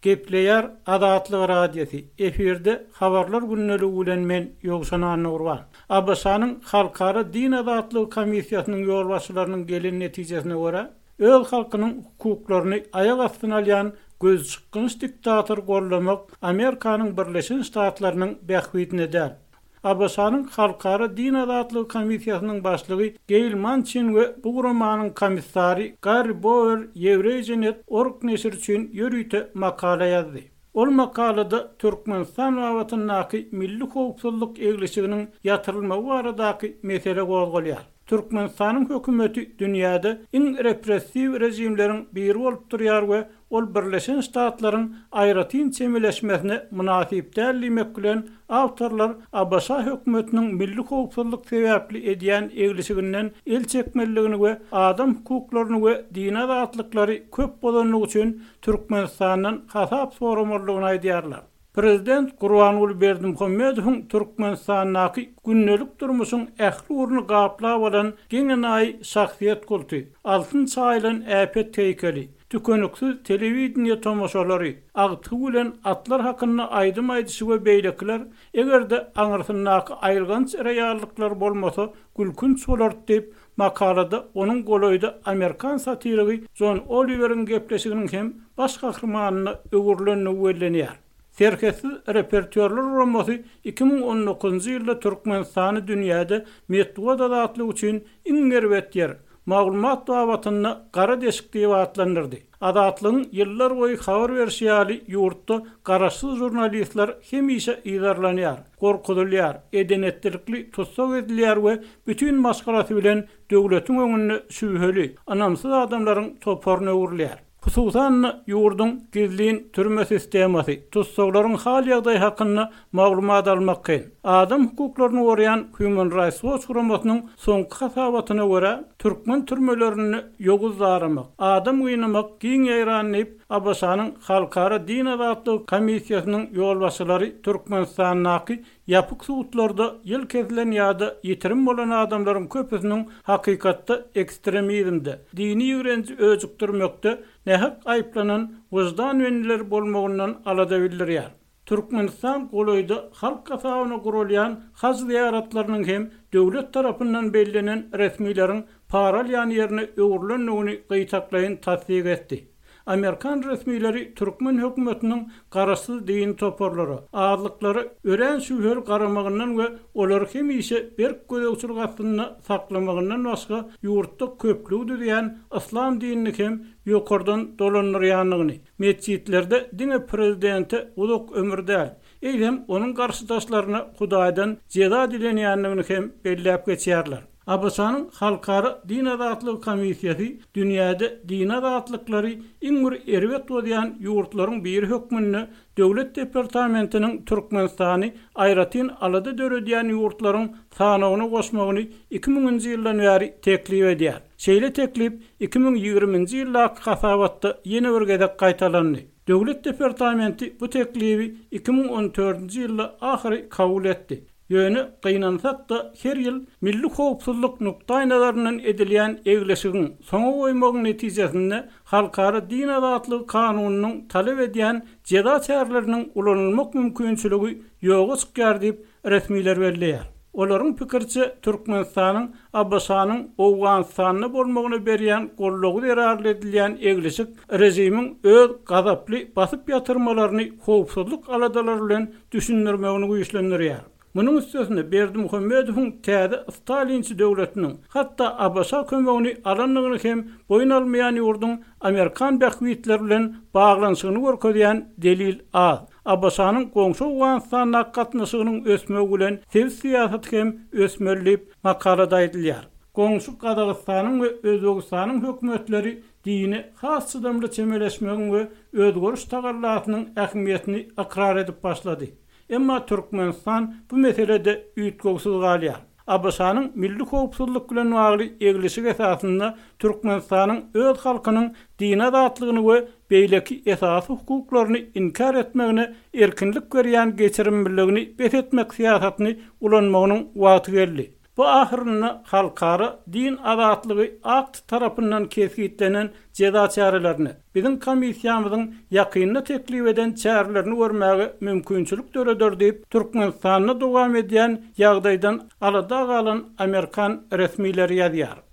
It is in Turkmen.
Gepleýär Azatlyk Radiosy, efirde Habarlar gündeligi bilen men Ýowşan Annagurban. ABŞ-nyň Halkara din azatlygy komissiýasynyň ýolbaşçylarynyň gelen netijesine görä, öz halkynyň hukuklaryny aýak astyna alýan gözçykgynç diktatory goldamak Amerikanyň Birleşen Ştatlarynyň bähbidine däl. ABŞ-nyň Halkara din azatlygy komissiýasynyň başlygy Geýl Mançin we bu guramanyň komissary Garri Bower Ýewreýjenet org neşiri üçin ýörite makala ýazdy. Ol makalada Türkmenistan babatyndaky milli howpsuzlyk eglişiginiň ýatyrylmagy baradaky mesele gozgalýar. Türkmenistanyň hökümeti dünýäde iň repressiw režimleriň biri bolup durýar we ol Birleşen Ştatlaryň aýratyn çemeleşmesine mynasyp däl diýmek bilen, awtorlar ABŞ hökümetiniň milli howpsuzlyk sebäpli edýän eglişiginden el çekmelidigini we adam hukuklaryny we dini azatlyklary köp bozandygy üçin Türkmenistandan hasap soramalydygyny aýdýarlar. Prezident Gurbanguly Berdimuhamedowyň Türkmenistandaky gündelik durmuşyň ähli ugruny gaplap alan geň-enaýy şahsyýet kulty, altyn çaýylan äpet heýkeli, tükeniksiz telewideniýe tomaşalary, agtygy bilen atlar hakynda aýdym aýdyşy we beýlekiler, eger-de aňyrsyndaky aýylganç reallyklar bolmasa, gülkünç bolardy diýip, makalada onuň golaýda amerikan satirigi Jon Oliweriň gepleşiginiň hem baş gahrymanyna öwrülendigi bellenýär. Serhetsiz repertýorlar guramasy 2019-njy ýylda Türkmenistany dünýäde metbugat azatlygy üçin iň erbet ýer, maglumat babatynda gara deşik diýip atlandyrdy. Azatlygyň ýyllar boýy habar berşi ýaly, ýurtda garaşsyz žurnalistler hemişe yzarlanýar, gorkuzylýar, eden-etdilikli tussag edilýär we bütin maşgalasy bilen döwletiň öňünde şübheli, ynamsyz adamlaryň toparyna öwrülýär. Hususan-da, ýurduň gizlin türme sistemasy, tussaglaryň hal-ýagdaýy hakynda maglumat almak kyn. Adam hukuklaryny goraýan Human Rights Watch guramasynyň soňky hasabatyna görä, türkmen türmelerinde ýowuz daramak, adam gynamak giň ýaýran diýip, ABŞ-nyň Halkara din azatlygy komissiýasynyň ýolbaşçylary Türkmenistandaky ýapyk sudlarda ýyl kesilen ýa-da ýitirim bolan adamlaryň köpüsiniň hakykatda ekstremizmde, dini ýigrenji öjükdirmekde nähak aýyplanan wyždan bendileri bolmagyndan alada bildirýär. Türkmenistan golaýda halk hasabyna guralýan haj zyýaratlarynyň hem döwlet tarapyndan bellenen resmileriň para alýan ýerine öwrülendigini gytaklaýyn tassyk etdi. Amerikan resmileri türkmen hökümetiniň garaşsyz dini toparlara, azlyklara örän şübheli garamagyndan we olary hemişe berk gözegçilik astynda saklamagyndan başga ýurtda köplügi düzýän yslam dinini hem ýokardan dolandyrýandygyny, Metjitlerde diňe prezidente uzak ömür däl, eýsem onuň garşydaşlaryna Hudaýdan jeza dilenýändigini hem belläp geçýärler. ABŞ-nyň Halkara din azatlygy komissiýasy dünýäde dini azatlyklary iň bir erbet bozýan ýurtlaryň biri hökmünde Döwlet departamentiniň Türkmenistany aýratyn alada döredýän ýurtlaryň sanawyna goşmagyny iki müňünji ýyldan bäri teklip edýär. Şeýle teklip 2020-nji ýyldaky hasabatda ýene bir gezek gaýtalandy. Döwlet departamenti bu teklibi 2014-nji ýylda ahyry kabul etdi. Ýöne, gynansak-da, her ýyl milli howpsuzlyk nukdaýnazaryndan edilýän egleşigiň, soňa goýmagyň netijesinde halkara din azatlygy kanunynyň talap edýän jeza çäreleriniň ulanylmak mümkinçiligi ýoga çykýar diýip, resmiler belleýär. Olaryň pikiriçe, Türkmenistanyň ABŞ-nyň Owganystanda bolmagyna berýän goldawy zerarly edilýän eglişik režimiň öz gazaply basyp ýatyrmalaryny howpsuzlyk aladalary bilen düşündirmegini güýçlendirýär. Munuň üstesine Berdimuhamedowyň täze stalinçi döwletiniň, hatda ABŞ kömegini alandygyny hem boýun almaýan ýurduň amerikan bähbitleri bilen baglanyşygyny görkezýän delil az. ABŞ-nyň goňşy Owganystandaky gatnaşygynyň ösmegi bilen sebit syýasaty hem ösmeli diýip, makalada aýdylýar. Goňşy Gazagystanyň we Özbegistanyň hökümetleri dine has çydamly çemeleşmegiň we özgeriş tagallasynyň ähmiýetini ykrar edip başlady. Emma Türkmenistan bu meselede üýtgewsiz galýar. ABŞ-nyň milli howpsuzlyk bilen bagly eglişik esasynda Türkmenistanyň öz halkynyň dini azatlygyny we beýleki esasy hukuklaryny inkär etmegine erkinlik berýän geçirimliligini bes etmek syýasatyny ulanmagynyň wagty geldi. Bu ahyrynda Halkara din azatlygy akty tarapyndan kesgitlenen jeza çärelerini, biziň komissiýamyzyň ýakynda teklip eden çärelerini görmäge mümkinçilik döreder diýip, Türkmenistanda dowam edýän ýagdaýdan alada galan amerikan resmileri ýazýar.